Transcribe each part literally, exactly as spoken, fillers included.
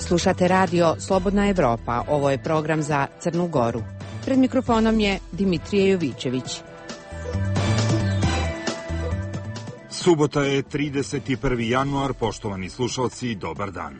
Slušate radio Slobodna Evropa, ovo je program za Crnu Goru. Pred mikrofonom je Dimitrije Jovićević. Subota je trideset prvi januar, poštovani slušalci, dobar dan.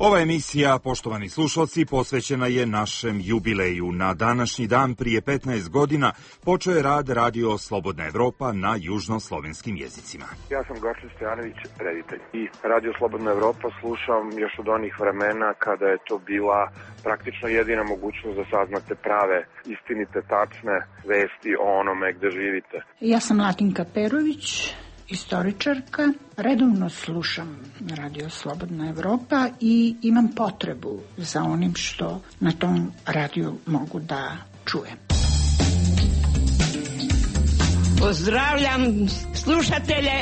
Ova emisija, poštovani slušalci, posvećena je našem jubileju. Na današnji dan prije petnaest godina počeo je rad radio Slobodna Evropa na južnoslovenskim jezicima. Ja sam Gašlin Stojanović, reditelj. I radio Slobodna Evropa slušam još od onih vremena kada je to bila praktično jedina mogućnost da saznate prave, istinite, tačne vesti o onome gde živite. Ja sam Latinka Perović, istoričarka, redovno slušam radio Slobodna Evropa i imam potrebu za onim što na tom radiju mogu da čujem. Pozdravljam slušatelje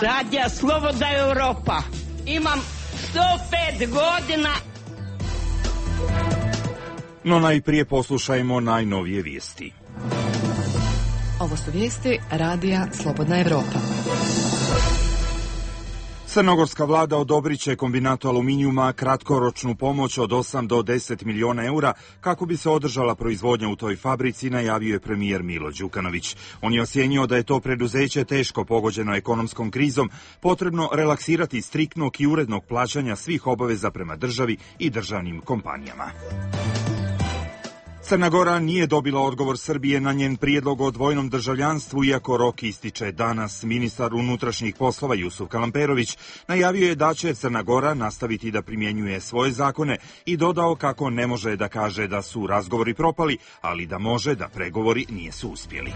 radija Slobodna Evropa. Imam sto pet godina. No najprije poslušajmo najnovije vijesti. Ovo su vijesti radija Slobodna Evropa. Crnogorska vlada odobrit će kombinatu aluminijuma kratkoročnu pomoć od osam do deset miliona eura kako bi se održala proizvodnja u toj fabrici, najavio je premijer Milo Đukanović. On je ocijenio da je to preduzeće teško pogođeno ekonomskom krizom, potrebno relaksirati striktnog i urednog plaćanja svih obaveza prema državi i državnim kompanijama. Crna Gora nije dobila odgovor Srbije na njen prijedlog o dvojnom državljanstvu, iako rok ističe danas. Ministar unutrašnjih poslova Jusuf Kalamperović najavio je da će Crna Gora nastaviti da primjenjuje svoje zakone i dodao kako ne može da kaže da su razgovori propali, ali da može da pregovori nisu uspjeli.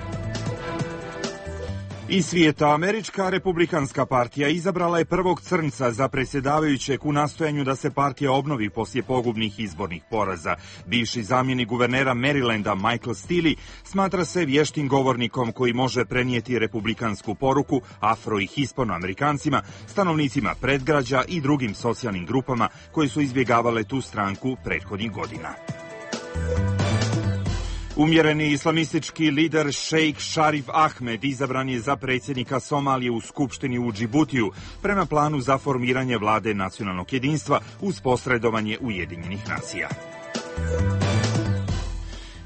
Iz svijeta, Američka republikanska partija izabrala je prvog crnca za predsjedavajućeg u nastojanju da se partija obnovi poslije pogubnih izbornih poraza. Bivši zamjenik guvernera Marylanda Michael Steele smatra se vještim govornikom koji može prenijeti republikansku poruku afro- i hispanoamerikancima, stanovnicima predgrađa i drugim socijalnim grupama koji su izbjegavale tu stranku prethodnih godina. Umjereni islamistički lider šejk Šarif Ahmed izabran je za predsjednika Somalije u Skupštini u Džibutiju prema planu za formiranje vlade nacionalnog jedinstva uz posredovanje Ujedinjenih nacija.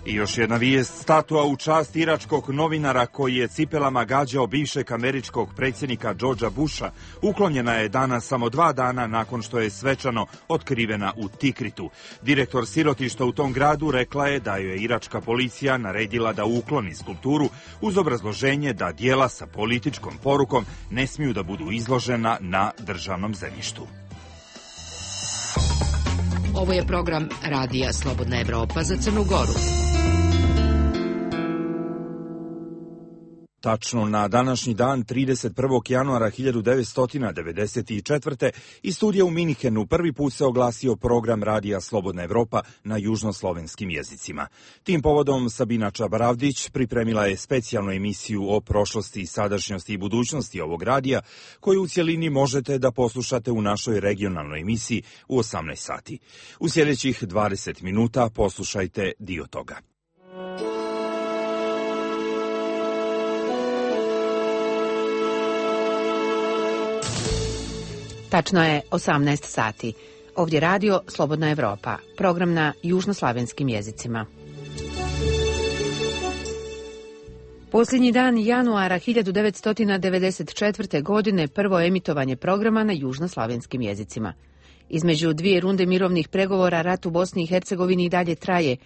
I još jedna vijest, statua u čast iračkog novinara koji je cipelama gađao bivšeg američkog predsjednika Georgea Busha uklonjena je danas samo dva dana nakon što je svečano otkrivena u Tikritu. Direktor sirotišta u tom gradu rekla je da joj je iračka policija naredila da ukloni skulpturu uz obrazloženje da djela sa političkom porukom ne smiju da budu izložena na državnom zemljištu. Ovo je program radija Slobodna Evropa za Crnu Goru. Tačno na današnji dan, trideset prvog januara hiljadu devetsto devedeset četvrte. iz studija u Minhenu prvi put se oglasio program radija Slobodna Evropa na južnoslovenskim jezicima. Tim povodom Sabina Čabaravdić pripremila je specijalnu emisiju o prošlosti, sadašnjosti i budućnosti ovog radija, koju u cjelini možete da poslušate u našoj regionalnoj emisiji u osamnaest sati. U sljedećih dvadeset minuta poslušajte dio toga. Tačno je osamnaest sati. Ovdje radio Slobodna Evropa, program na južnoslavenskim jezicima. Posljednji dan januara hiljadu devetsto devedeset četvrte. godine prvo emitovanje programa na južnoslavenskim jezicima. Između dvije runde mirovnih pregovora rat u Bosni i Hercegovini i dalje traje.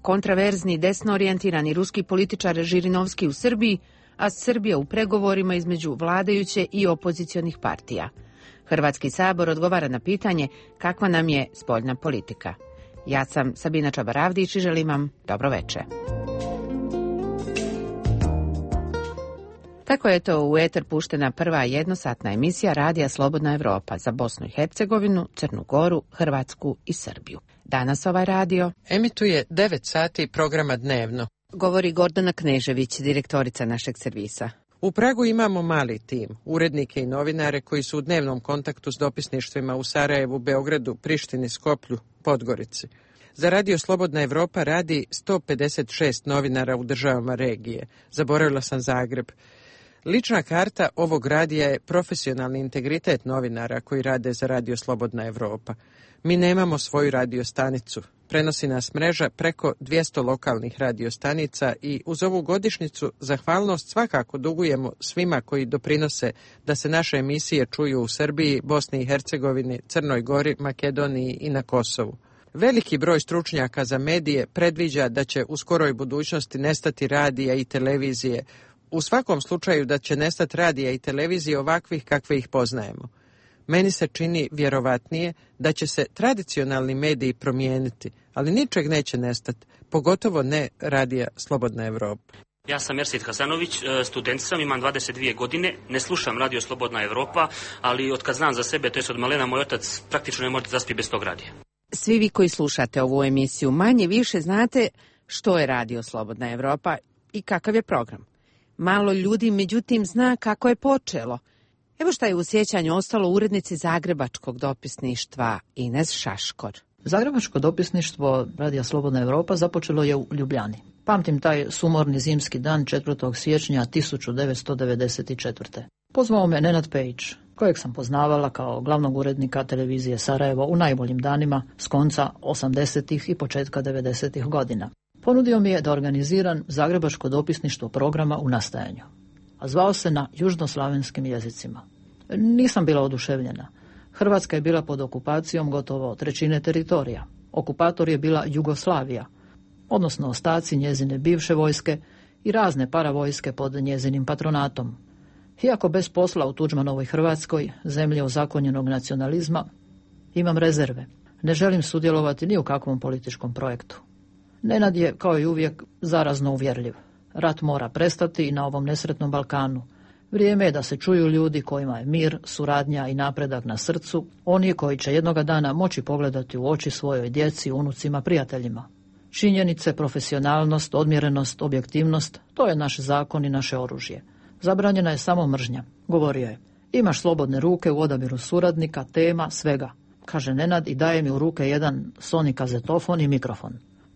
Kontraverzni, desno orijentirani ruski političar Žirinovski u Srbiji, a Srbija u pregovorima između vladajuće i opozicionih partija. Hrvatski sabor odgovara na pitanje kakva nam je spoljna politika. Ja sam Sabina Čabaravdić i želim vam dobro večer. Tako je to u eter puštena prva jednosatna emisija radija Slobodna Evropa za Bosnu i Hercegovinu, Crnu Goru, Hrvatsku i Srbiju. Danas ovaj radio emituje devet sati programa dnevno. Govori Gordana Knežević, direktorica našeg servisa. U Pragu imamo mali tim, urednike i novinare koji su u dnevnom kontaktu s dopisništvima u Sarajevu, Beogradu, Prištini, Skoplju, Podgorici. Za radio Slobodna Evropa radi sto pedeset šest novinara u državama regije. Zaboravila sam Zagreb. Lična karta ovog radija je profesionalni integritet novinara koji rade za Radio Slobodna Evropa. Mi nemamo svoju radiostanicu. Prenosi nas mreža preko dvjesto lokalnih radiostanica i uz ovu godišnjicu zahvalnost svakako dugujemo svima koji doprinose da se naše emisije čuju u Srbiji, Bosni i Hercegovini, Crnoj Gori, Makedoniji i na Kosovu. Veliki broj stručnjaka za medije predviđa da će u skoroj budućnosti nestati radija i televizije. U svakom slučaju da će nestati radija i televizije ovakvih kakve ih poznajemo. Meni se čini vjerovatnije da će se tradicionalni mediji promijeniti, ali ničeg neće nestati, pogotovo ne Radija Slobodna Evropa. Ja sam Mersit Hasanović, student sam, imam dvadeset dvije godine, ne slušam Radio Slobodna Evropa, ali od kad znam za sebe, to je od malena, moj otac praktično ne može zaspiti bez tog radija. Svi vi koji slušate ovu emisiju manje više znate što je Radio Slobodna Evropa i kakav je program. Malo ljudi, međutim, zna kako je počelo. Evo šta je u sjećanju ostalo urednici Zagrebačkog dopisništva Ines Šaškor. Zagrebačko dopisništvo Radija Slobodna Evropa započelo je u Ljubljani. Pamtim taj sumorni zimski dan četvrtog siječnja tisuću devetsto devedeset četvrte. Pozvao me Nenad Pejić, kojeg sam poznavala kao glavnog urednika televizije Sarajevo u najboljim danima s konca osamdesetih i početka devedesetih godina. Ponudio mi je da organiziram Zagrebačko dopisništvo programa u nastajanju, a zvao se na južnoslavenskim jezicima. Nisam bila oduševljena. Hrvatska je bila pod okupacijom gotovo trećine teritorija. Okupator je bila Jugoslavija, odnosno ostaci njezine bivše vojske i razne paravojske pod njezinim patronatom. Iako bez posla u Tuđmanovoj Hrvatskoj, zemlje ozakonjenog nacionalizma, imam rezerve. Ne želim sudjelovati ni u kakvom političkom projektu. Nenad je, kao i uvijek, zarazno uvjerljiv. Rat mora prestati i na ovom nesretnom Balkanu. Vrijeme je da se čuju ljudi kojima je mir, suradnja i napredak na srcu, oni koji će jednoga dana moći pogledati u oči svojoj djeci, unucima, prijateljima. Činjenice, profesionalnost, odmjerenost, objektivnost, to je naš zakon i naše oružje. Zabranjena je samo mržnja, govorio je. Imaš slobodne ruke u odabiru suradnika, tema, svega, kaže Nenad i daje mi u ruke jedan Sony kazetofon i mikrofon.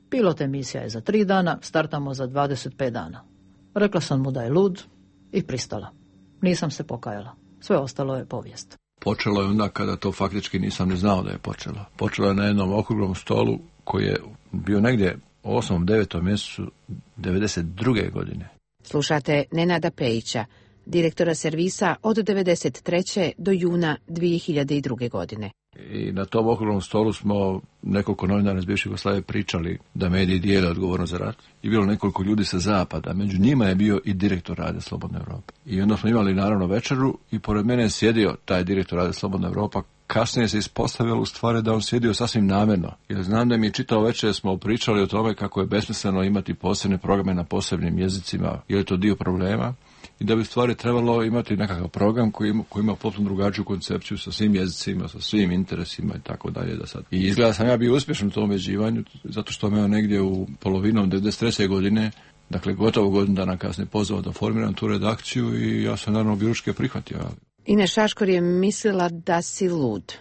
Pilot emisija je za tri dana, startamo za dvadeset pet dana. Rekla sam mu da je lud i pristala. Nisam se pokajala. Sve ostalo je povijest. Počelo je onda kada to faktički nisam ni znao da je počelo. Počelo je na jednom okruglom stolu koji je bio negdje u osmom devetom mjesecu devedeset druge godine. Slušate Nenada Pejića, direktora servisa od devedeset treće do juna dvije hiljade druge. godine. I na tom okruglom stolu smo nekoliko novinara iz bivše Jugoslavije pričali da mediji dijele odgovornost za rat. I bilo nekoliko ljudi sa zapada. Među njima je bio i direktor Radija Slobodna Evropa. I onda smo imali naravno večeru i pored mene je sjedio taj direktor Radija Slobodna Evropa. Kasnije se ispostavilo u stvari da on sjedio sasvim namjerno. Jer znam da mi je čitao večer smo pričali o tome kako je besmisleno imati posebne programe na posebnim jezicima. Je li to dio problema? I da bi stvari trebalo imati nekakav program koji ima, koji ima potpuno drugačiju koncepciju sa svim jezicima, sa svim interesima i tako dalje. Da sad. I izgleda sam ja bio uspješan u tom ubeđivanju, zato što me on negdje u polovinom devedeset treće godine, dakle gotovo godinu dana kasnije, pozvao da formiram tu redakciju i ja sam naravno biručke prihvatio. Ines Šaškor je mislila da si lud.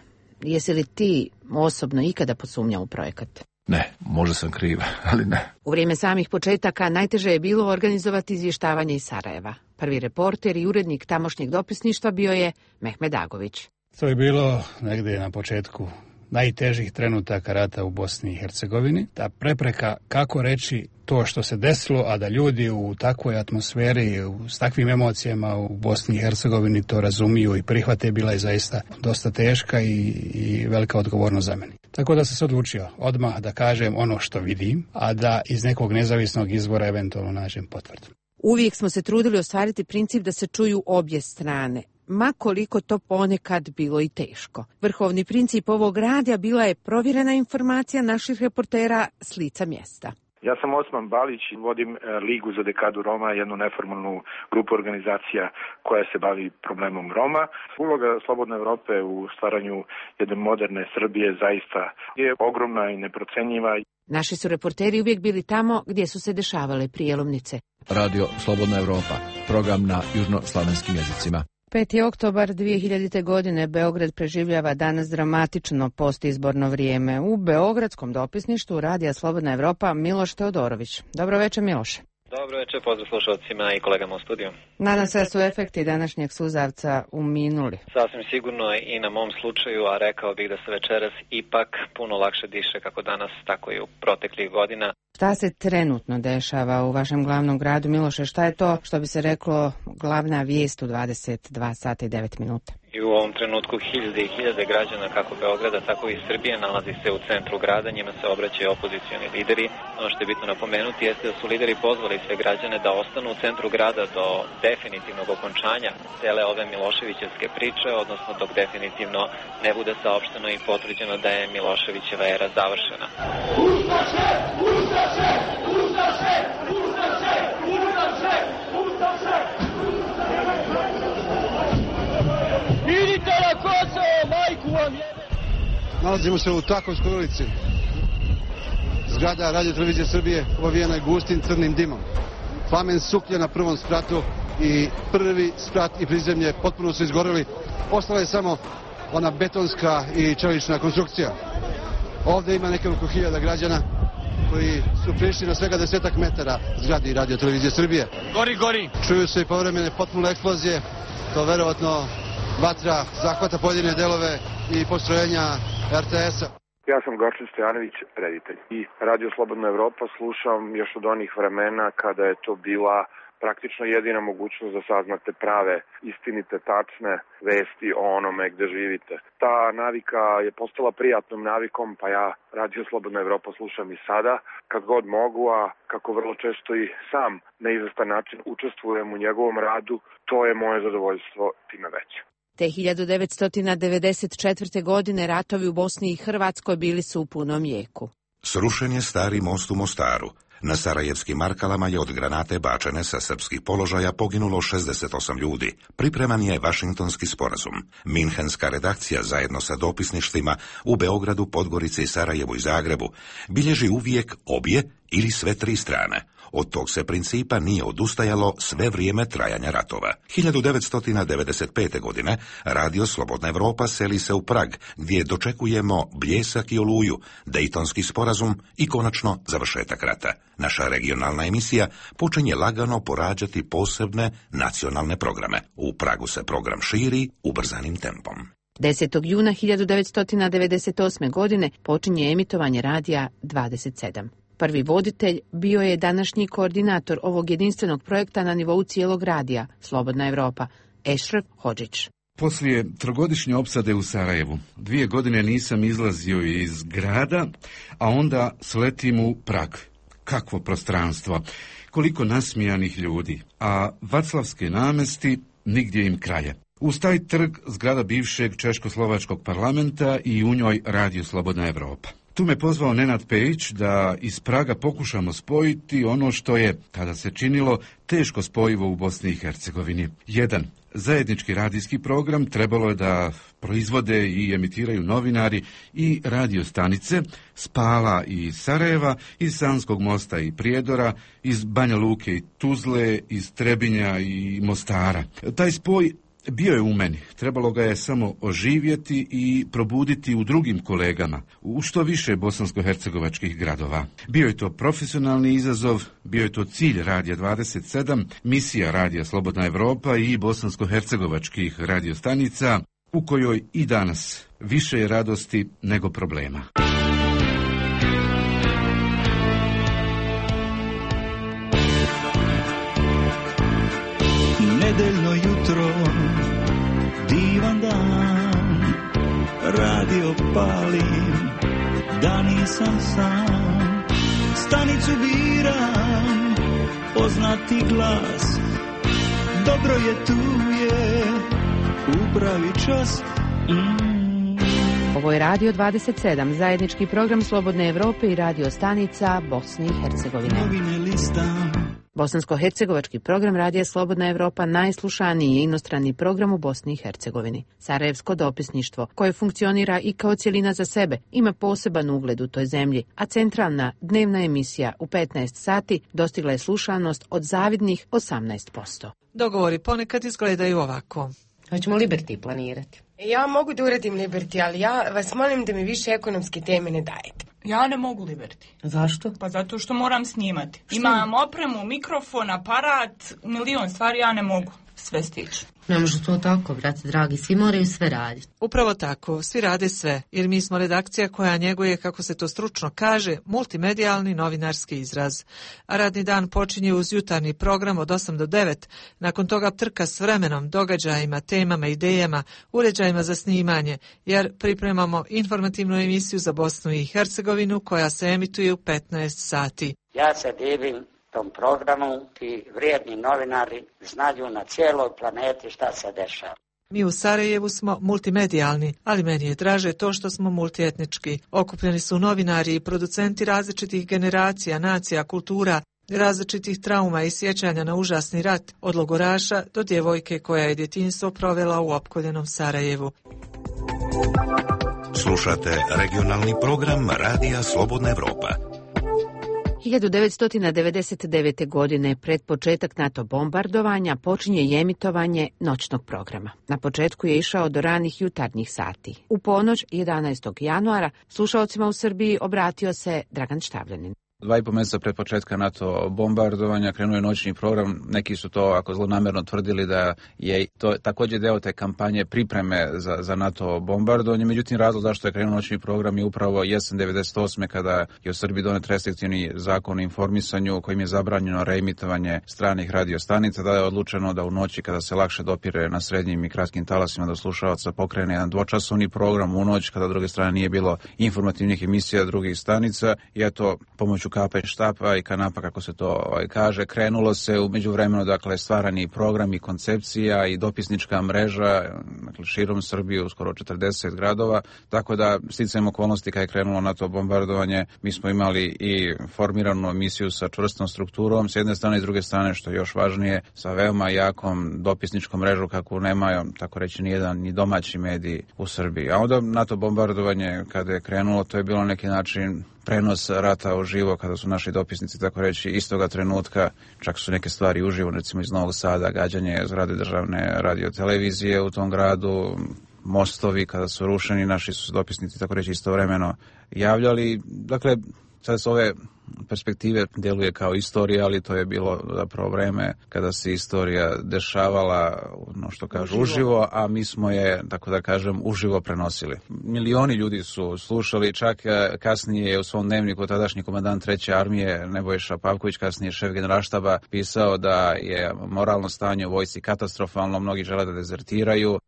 Jesi li ti osobno ikada posumnjao u projekat? Ne, možda sam kriva, ali ne. U vrijeme samih početaka najteže je bilo organizovati izvještavanje iz Sarajeva. Prvi reporter i urednik tamošnjeg dopisništva bio je Mehmed Agović. To je bilo negdje na početku najtežih trenutaka rata u Bosni i Hercegovini. Ta prepreka kako reći to što se desilo, a da ljudi u takvoj atmosferi, s takvim emocijama u Bosni i Hercegovini to razumiju i prihvate, bila je zaista dosta teška i, i velika odgovornost za mene. Tako da sam se odlučio odmah da kažem ono što vidim, a da iz nekog nezavisnog izvora eventualno nađem potvrdu. Uvijek smo se trudili ostvariti princip da se čuju obje strane, ma koliko to ponekad bilo i teško. Vrhovni princip ovog radija bila je provjerena informacija naših reportera s lica mjesta. Ja sam Osman Balić i vodim Ligu za dekadu Roma, jednu neformalnu grupu organizacija koja se bavi problemom Roma. Uloga Slobodne Evrope u stvaranju jedne moderne Srbije zaista je ogromna i neprocenjiva. Naši su reporteri uvijek bili tamo gdje su se dešavale prijelomnice. Radio Slobodna Evropa, program na južnoslavenskim jezicima. peti oktobar dvije hiljadite. godine Beograd preživljava danas dramatično postizborno vrijeme. U beogradskom dopisništvu Radija Slobodna Evropa Miloš Teodorović. Dobro večer, Miloše. Dobro večer, pozdrav slušalcima i kolegama u studiju. Nadam se da su efekti današnjeg suzavca uminuli. Sasvim sigurno i na mom slučaju, a rekao bih da se večeras ipak puno lakše diše kako danas, tako i u proteklih godina. Šta se trenutno dešava u vašem glavnom gradu, Miloše? Šta je to, što bi se reklo, glavna vijest u dvadeset dva sata i devet minuta? I u ovom trenutku hiljade i hiljade građana kako Beograda, tako i Srbije nalazi se u centru grada, njima se obraćaju opozicioni lideri. Ono što je bitno napomenuti jeste da su lideri pozvali sve građane da ostanu u centru grada do definitivnog okončanja cele ove Miloševićevske priče, odnosno dok definitivno ne bude saopšteno i potvrđeno da je Miloševićeva era završena. Ustaše! Ustaše! Ustaše! Ustaše! Ustaše! Ustaše! Idite na Kosovo, majku vam jebe! Nalazimo se u Takovskoj ulici. Zgrada Radio Televizije Srbije ovijena je gustim crnim dimom. Plamen suklje na prvom spratu i prvi sprat i prizemlje potpuno su izgoreli. Ostala je samo ona betonska i čelična konstrukcija. Ovdje ima nekoliko hiljada građana koji su prišli na svega desetak metara zgradi Radio Televizije Srbije. Gori, gori! Čuju se i povremene potpune eksplozije. To verovatno vatra zahvata pojedine delove i postrojenja er te es-a. Ja sam Gorčin Stojanović, reditelj. I Radio Slobodna Evropa slušam još od onih vremena kada je to bila praktično jedina mogućnost da saznate prave, istinite, tačne vesti o onome gde živite. Ta navika je postala prijatnom navikom, pa ja Radio Slobodna Evropa slušam i sada, kad god mogu, a kako vrlo često i sam na izvestan način učestvujem u njegovom radu, to je moje zadovoljstvo time veće. Te hiljadu devetsto devedeset četvrte. godine ratovi u Bosni i Hrvatskoj bili su u punom jeku. Srušen je stari most u Mostaru. Na sarajevskim Markalama je od granate bačene sa srpskih položaja poginulo šezdeset osam ljudi. Pripreman je Vašingtonski sporazum. Minhenska redakcija zajedno sa dopisništvima u Beogradu, Podgorici, Sarajevu i Zagrebu bilježi uvijek obje ili sve tri strane. Od tog se principa nije odustajalo sve vrijeme trajanja ratova. hiljadu devetsto devedeset pete. godine Radio Slobodna Evropa seli se u Prag, gdje dočekujemo bljesak i oluju, Dejtonski sporazum i konačno završetak rata. Naša regionalna emisija počinje lagano porađati posebne nacionalne programe. U Pragu se program širi ubrzanim tempom. desetog juna hiljadu devetsto devedeset osme. godine počinje emitovanje radija dvadeset sedam. Prvi voditelj bio je današnji koordinator ovog jedinstvenog projekta na nivou cijelog radija, Slobodna Evropa, Ešref Hodžić. Poslije trogodišnje opsade u Sarajevu, dvije godine nisam izlazio iz grada, a onda sletim u Prag. Kakvo prostranstvo, koliko nasmijanih ljudi, a Vaclavske namesti nigdje im kraja. Uz taj trg zgrada bivšeg češko-slovačkog parlamenta i u njoj Radio Slobodna Evropa. Tu me pozvao Nenad Pejić da iz Praga pokušamo spojiti ono što je, kada se činilo, teško spojivo u Bosni i Hercegovini. Jedan zajednički radijski program trebalo je da proizvode i emitiraju novinari i radiostanice s Pala i Sarajeva, iz Sanskog mosta i Prijedora, iz Banja Luke i Tuzle, iz Trebinja i Mostara. Taj spoj bio je u meni, trebalo ga je samo oživjeti i probuditi u drugim kolegama, u što više bosansko-hercegovačkih gradova. Bio je to profesionalni izazov, bio je to cilj Radija dvadeset sedam, misija Radija Slobodna Evropa i bosansko-hercegovačkih radiostanica, u kojoj i danas više je radosti nego problema. Nedeljno jutro, divan dan, radio palim, da nisam sam. Stanicu biram, poznati glas, dobro je tu je, upravi čas. Mm. Ovo je Radio dvadeset sedam, zajednički program Slobodne Evrope i radio stanica Bosne i Hercegovine. Novine listam. Bosansko-hercegovački program Radija Slobodna Evropa najslušaniji je inostrani program u Bosni i Hercegovini. Sarajevsko dopisništvo, koje funkcionira i kao cjelina za sebe, ima poseban ugled u toj zemlji, a centralna dnevna emisija u petnaest sati dostigla je slušanost od zavidnih osamnaest posto. Dogovori ponekad izgledaju ovako. Hoćemo Liberty planirati. Ja mogu da uradim Liberty, ali ja vas molim da mi više ekonomske teme ne dajete. Ja ne mogu Liberty. Zašto? Pa zato što moram snimati. Što? Imam opremu, mikrofon, aparat, milion stvari, ja ne mogu sve stići. Ne može to tako, brate dragi, svi moraju sve raditi. Upravo tako, svi rade sve, jer mi smo redakcija koja njeguje, kako se to stručno kaže, multimedijalni novinarski izraz. A radni dan počinje uz jutarnji program od osam do devet, nakon toga trka s vremenom, događajima, temama, idejama, uređajima za snimanje, jer pripremamo informativnu emisiju za Bosnu i Hercegovinu koja se emituje u petnaest sati. Ja se divim tom programu, ti vrijedni novinari znaju na cijeloj planeti šta se dešava. Mi u Sarajevu smo multimedijalni, ali meni je draže to što smo multietnički. Okupljeni su novinari i producenti različitih generacija, nacija, kultura, različitih trauma i sjećanja na užasni rat, od logoraša do djevojke koja je djetinjstvo provela u opkoljenom Sarajevu. Slušate regionalni program Radija Slobodna Evropa. hiljadu devetsto devedeset devete. godine, pred početak NATO bombardovanja, počinje i emitovanje noćnog programa. Na početku je išao do ranih jutarnjih sati. U ponoć jedanaestog januara slušaocima u Srbiji obratio se Dragan Štavljanin. Dva i po mjeseca pred početka NATO bombardovanja krenuo je noćni program. Neki su to, ako zlonamjerno, tvrdili da je to također deo te kampanje pripreme za, za NATO bombardovanje. Međutim, razlog zašto je krenuo noćni program je upravo jesen devedeset osme. kada je u Srbiji donet restriktivni zakon o informisanju kojim je zabranjeno reemitovanje stranih radiostanica. Da je odlučeno da u noći, kada se lakše dopire na srednjim i kratkim talasima do slušalaca, pokrene jedan dvočasovni program u noć, kada s druge strane nije bilo informativnih emisija drugih stanica. I eto, pomoću kapa i štapa i kanapa, kako se to ovaj, kaže, krenulo se u međuvremenu, dakle, stvarani program i koncepcija i dopisnička mreža, dakle, širom Srbije u skoro četrdeset gradova, tako da sticajem okolnosti kad je krenulo na to bombardovanje, mi smo imali i formiranu emisiju sa čvrstom strukturom, s jedne strane i s druge strane, što je još važnije, sa veoma jakom dopisničkom mrežu kakvu nema, tako reći, ni jedan ni domaći mediji u Srbiji. A onda na to bombardovanje, kada je krenulo, to je bilo na neki način prenos rata uživo, kada su naši dopisnici, tako reći, istoga trenutka, čak su neke stvari uživo, recimo iz Novog Sada, gađanje zgrade državne radiotelevizije u tom gradu, mostovi kada su rušeni, naši su dopisnici, tako reći, istovremeno javljali. Dakle, sad s ove perspektive djeluje kao istorija, ali to je bilo zapravo vreme kada se istorija dešavala, ono što kažu, uživo, uživo a mi smo je, tako da kažem, uživo prenosili. Milioni ljudi su slušali, čak kasnije je u svom dnevniku tadašnji komandant treće armije Nebojša Pavković, kasnije šef generalštaba, pisao da je moralno stanje u vojsci katastrofalno, mnogi žele da dezertiraju,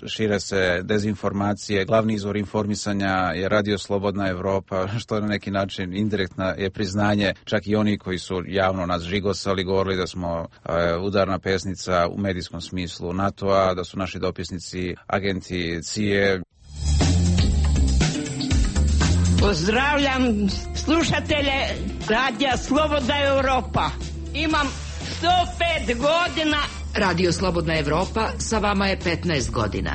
šire se dezinformacije, glavni izvor informisanja je Radio Slobodna Evropa, što na neki način indirektna je priznanje, čak i oni koji su javno nas žigosali, govorili da smo uh, udarna pesnica u medijskom smislu NATO-a, da su naši dopisnici agenti C I E. Pozdravljam slušatelje Radija Slobodna Evropa. Imam sto pet godina. Radio Slobodna Evropa sa vama je petnaest godina.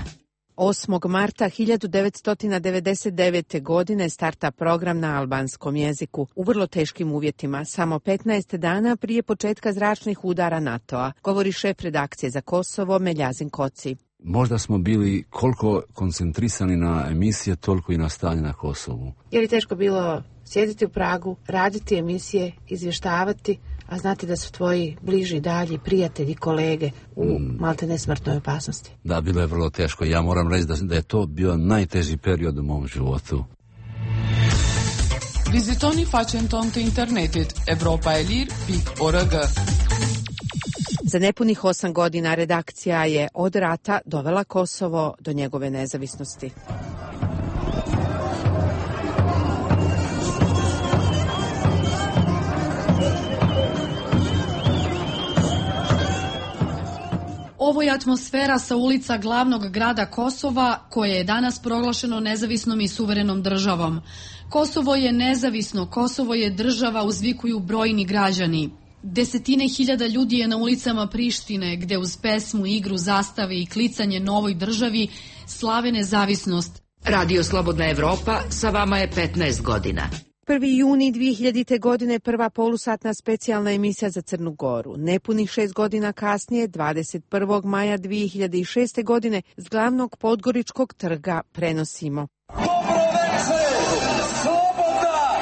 osmog marta hiljadu devetsto devedeset devete. godine starta program na albanskom jeziku u vrlo teškim uvjetima, samo petnaest dana prije početka zračnih udara NATO-a, govori šef redakcije za Kosovo Meljazin Koci. Možda smo bili koliko koncentrisani na emisije, toliko i na stanje na Kosovu. Je li teško bilo sjediti u Pragu, raditi emisije, izvještavati, a znate da su tvoji bliži, dalji prijatelji, kolege u mm. malte nesmrtnoj opasnosti? Da, bilo je vrlo teško. Ja moram reći da, da je to bio najteži period u mom životu. Vizitoni facem tonte internetit evropaelir punkt org. Za nepunih osam godina redakcija je od rata dovela Kosovo do njegove nezavisnosti. Ovo je atmosfera sa ulica glavnog grada Kosova, koje je danas proglašeno nezavisnom i suverenom državom. Kosovo je nezavisno, Kosovo je država, uzvikuju brojni građani. Desetine hiljada ljudi je na ulicama Prištine, gde uz pesmu, igru, zastave i klicanje novoj državi slave nezavisnost. Radio Slobodna Evropa sa vama je petnaest godina. prvi juni dvije hiljadite. godine prva polusatna specijalna emisija za Crnu Goru. Nepunih šest godina kasnije, dvadeset prvog maja dvije hiljade šeste. godine, s glavnog Podgoričkog trga prenosimo. Dobro večer, slobodna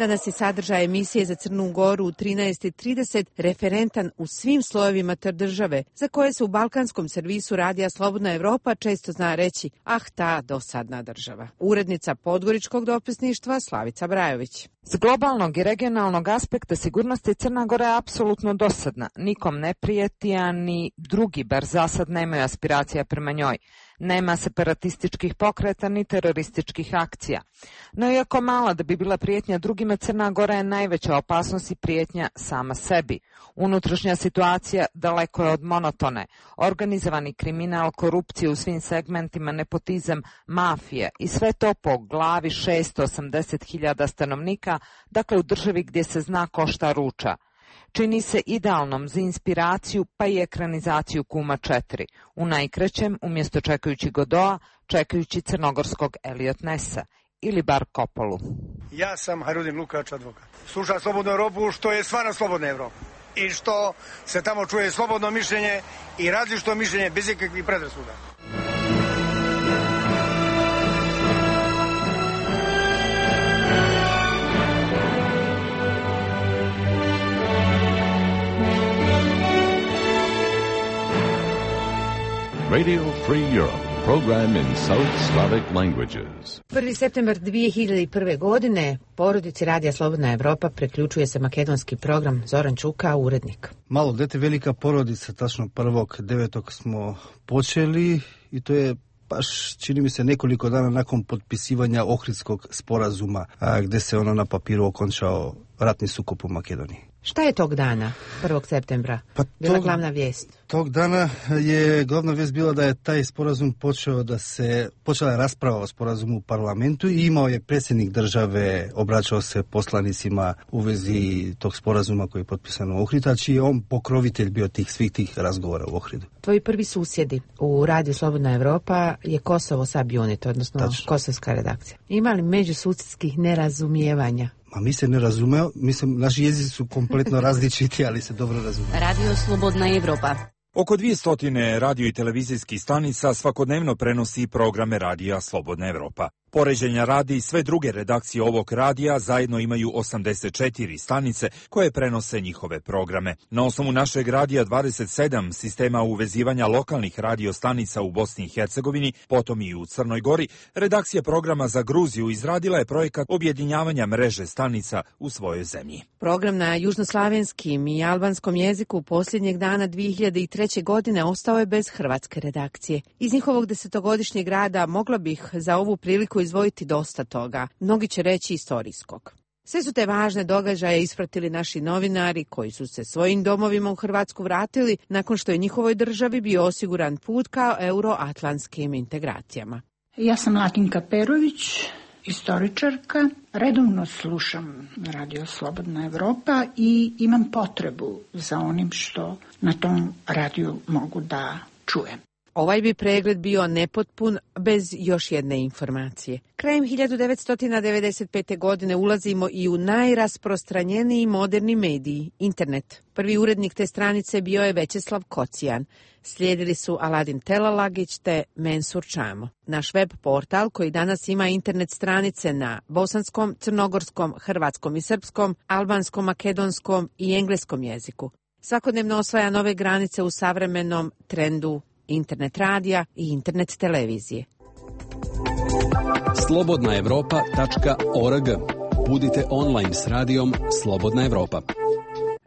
Danas je sadržaj emisije za Crnu Goru u trinaest i trideset referentan u svim slojevima te države, za koje se u balkanskom servisu radija Slobodna Evropa često zna reći, ah ta dosadna država. Urednica podgoričkog dopisništva Slavica Brajović. S globalnog i regionalnog aspekta sigurnosti Crna Gora je apsolutno dosadna. Nikom ne prijeti, a ni drugi, bar za sad, nemaju aspiracija prema njoj. Nema separatističkih pokreta ni terorističkih akcija. No iako mala da bi bila prijetnja drugima, Crna Gora je najveća opasnost i prijetnja sama sebi. Unutrašnja situacija daleko je od monotone. Organizovani kriminal, korupcija u svim segmentima, nepotizam, mafija i sve to po glavi šesto osamdeset hiljada stanovnika, dakle u državi gdje se zna ko šta ruča. Čini se idealnom za inspiraciju pa i ekranizaciju Kuma četiri. U najkraćem, umjesto čekajući Godoa, čekajući crnogorskog Elliot Nessa ili bar Kopolu. Ja sam Harudin Lukač, advokat. Slušam Slobodnu Evropu, što je stvarno Slobodna Evropa. I što se tamo čuje slobodno mišljenje i različito mišljenje bez ikakvih predrasuda. Radio Free Europe, program in South Slavic languages. prvi septembar dvije hiljade prve. godine porodici Radija Slobodna Evropa preključuje se makedonski program. Zoran Čuka, urednik. Malo dete velika porodica, tačno prvog devetog smo počeli i to je baš, čini mi se, nekoliko dana nakon potpisivanja Ohridskog sporazuma, a, gdje se ono na papiru okončao ratni sukob u Makedoniji. Šta je tog dana, prvog septembra, pa bila tog, glavna vijest? Tog dana je glavna vijest bila da je taj sporazum počeo da se, počela je rasprava o sporazumu u parlamentu i imao je predsjednik države, obraćao se poslanicima u vezi tog sporazuma koji je potpisan u Ohridu, čiji je on pokrovitelj bio tih svih tih razgovora u Ohridu. Tvoji prvi susjedi u Radiju Slobodna Evropa je Kosovo Subunit, odnosno Tačno. Kosovska redakcija. Ima li međususjedskih nerazumijevanja? Ma mi se ne razumeo, mislim, naši jezici su kompletno različiti, ali se dobro razumiju. Radio Slobodna Evropa. Oko dvjesto radio i televizijskih stanica svakodnevno prenosi programe Radija Slobodna Evropa. Poređenja radi i sve druge redakcije ovog radija zajedno imaju osamdeset četiri stanice koje prenose njihove programe. Na osnovu našeg radija dvadeset sedam sistema uvezivanja lokalnih radio stanica u Bosni i Hercegovini, potom i u Crnoj Gori, redakcija programa za Gruziju izradila je projekat objedinjavanja mreže stanica u svojoj zemlji. Program na južnoslavenskim i albanskom jeziku posljednjeg dana dvije hiljade treće. godine ostao je bez hrvatske redakcije. Iz njihovog desetogodišnjeg rada mogla bih za ovu priliku izdvojiti dosta toga, mnogi će reći istorijskog. Sve su te važne događaje ispratili naši novinari koji su se svojim domovima u Hrvatsku vratili nakon što je njihovoj državi bio osiguran put ka euroatlantskim integracijama. Ja sam Latinka Perović, istoričarka. Redovno slušam Radio Slobodna Evropa i imam potrebu za onim što na tom radiju mogu da čujem. Ovaj bi pregled bio nepotpun bez još jedne informacije. Krajem hiljadu devetsto devedeset pete. godine ulazimo i u najrasprostranjeniji moderni mediji, internet. Prvi urednik te stranice bio je Večeslav Kocijan. Slijedili su Aladin Telalagić te Mensur Čamo. Naš web portal koji danas ima internet stranice na bosanskom, crnogorskom, hrvatskom i srpskom, albanskom, makedonskom i engleskom jeziku. Svakodnevno osvaja nove granice u savremenom trendu internet radija i internet televizije. slobodna evropa tačka org. Budite online s radijom Slobodna Evropa.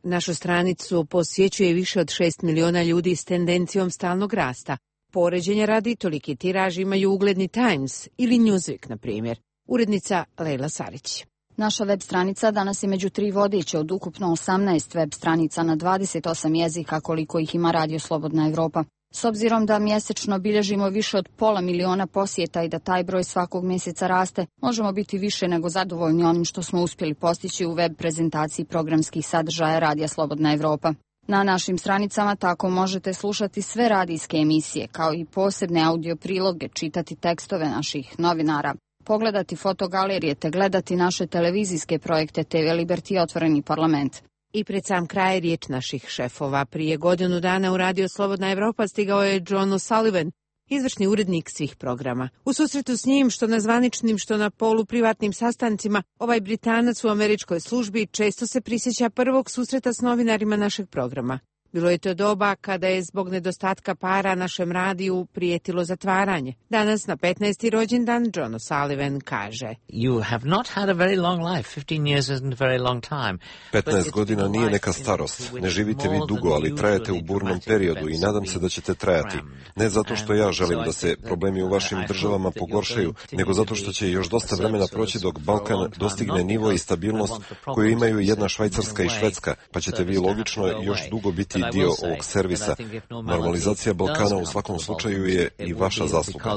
Našu stranicu posjećuje više od šest miliona ljudi s tendencijom stalnog rasta. Poređenja radi toliki tiraž imaju ugledni Times ili Newsweek, na primjer. Urednica Lejla Sarić. Naša web stranica danas je među tri vodeće od ukupno osamnaest web stranica na dvadeset osam jezika koliko ih ima Radio Slobodna Evropa. S obzirom da mjesečno bilježimo više od pola miliona posjeta i da taj broj svakog mjeseca raste, možemo biti više nego zadovoljni onim što smo uspjeli postići u web prezentaciji programskih sadržaja Radija Slobodna Evropa. Na našim stranicama tako možete slušati sve radijske emisije, kao i posebne audio priloge, čitati tekstove naših novinara, pogledati fotogalerije te gledati naše televizijske projekte T V Liberty i Otvoreni parlament. I pred sam kraj riječ naših šefova. Prije godinu dana u Radio Slobodna Evropa stigao je John O'Sullivan izvršni urednik svih programa. U susretu s njim, što na zvaničnim, što na poluprivatnim sastancima, ovaj Britanac u američkoj službi često se prisjeća prvog susreta s novinarima našeg programa. Bilo je to doba kada je zbog nedostatka para našem radiju prijetilo zatvaranje. Danas na petnaesti rođendan John O'Sullivan kaže: You have not had a very long life. fifteen years isn't a very long time. petnaest godina nije neka starost. Ne živite vi dugo, ali trajete u burnom periodu i nadam se da ćete trajati. Ne zato što ja želim da se problemi u vašim državama pogoršaju, nego zato što će još dosta vremena proći dok Balkan dostigne nivo i stabilnost koju imaju jedna Švajcarska i Švedska, pa ćete vi logično još dugo biti dio ovog servisa. Normalizacija Balkana u svakom slučaju je i vaša zasluga.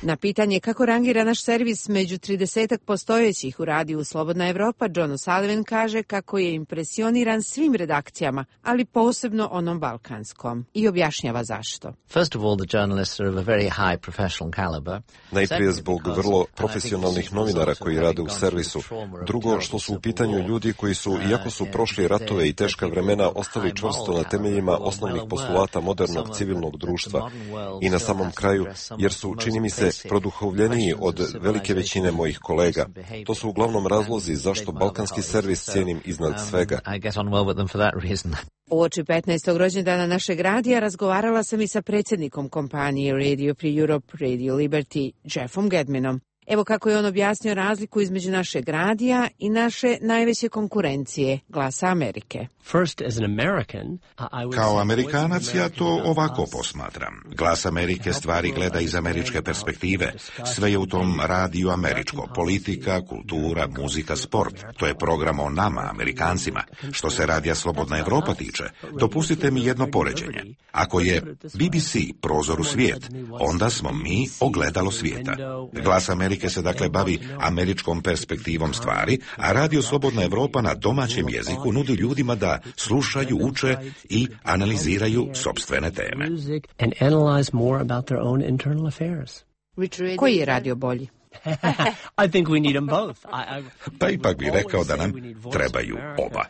Na pitanje kako rangira naš servis među tridesetak postojećih u radiju Slobodna Evropa, John O'Sullivan kaže kako je impresioniran svim redakcijama, ali posebno onom balkanskom, i objašnjava zašto. Najprije zbog vrlo profesionalnih novinara koji rade u servisu. Drugo, što su u pitanju ljudi koji su, iako su prošli ratove i teška vremena, ostali čvrsto na temeljima osnovnih postulata modernog civilnog društva. I na samom kraju, jer su, čini mi se, produhovljeniji od velike većine mojih kolega. To su uglavnom razlozi zašto balkanski servis cijenim iznad svega. Uoči petnaestog rođendana našeg radija razgovarala sam i sa predsjednikom kompanije Radio Free Europe, Radio Liberty, Jeffom Gedmanom. Evo kako je on objasnio razliku između našeg radija i naše najveće konkurencije, Glasa Amerike. Kao Amerikanac ja to ovako posmatram. Glas Amerike stvari gleda iz američke perspektive. Sve je u tom radiju američko. Politika, kultura, muzika, sport. To je program o nama, Amerikancima. Što se radija Slobodna Evropa tiče, dopustite mi jedno poređenje. Ako je B B C prozor u svijet, onda smo mi ogledalo svijeta. Glas Amerike se dakle bavi američkom perspektivom stvari, a radio Slobodna Evropa na domaćem jeziku nudi ljudima da slušaju, uče i analiziraju sopstvene teme. Koji je radio bolji? Pa ipak bih rekao da nam trebaju oba.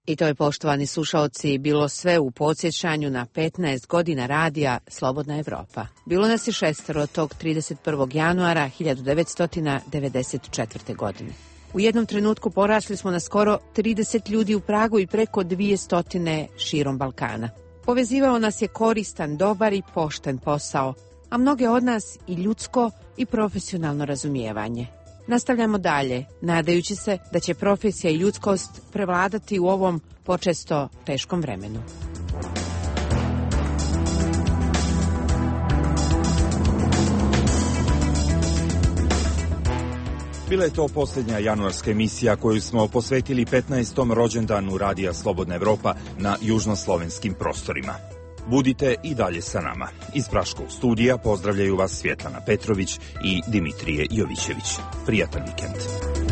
I to je, poštovani slušaoci, bilo sve u podsjećanju na petnaest godina radija Slobodna Evropa. Bilo nas je šestero tog trideset prvog januara hiljadu devetsto devedeset četvrte. godine. U jednom trenutku porasli smo na skoro trideset ljudi u Pragu i preko dvjesto širom Balkana. Povezivao nas je koristan, dobar i pošten posao, a mnoge od nas i ljudsko i profesionalno razumijevanje. Nastavljamo dalje, nadajući se da će profesija i ljudskost prevladati u ovom počesto teškom vremenu. Bila je to posljednja januarska emisija koju smo posvetili petnaestom rođendanu Radija Slobodna Evropa na južnoslovenskim prostorima. Budite i dalje sa nama. Iz Praškog studija pozdravljaju vas Svjetlana Petrović i Dimitrije Jovićević. Prijatan vikend.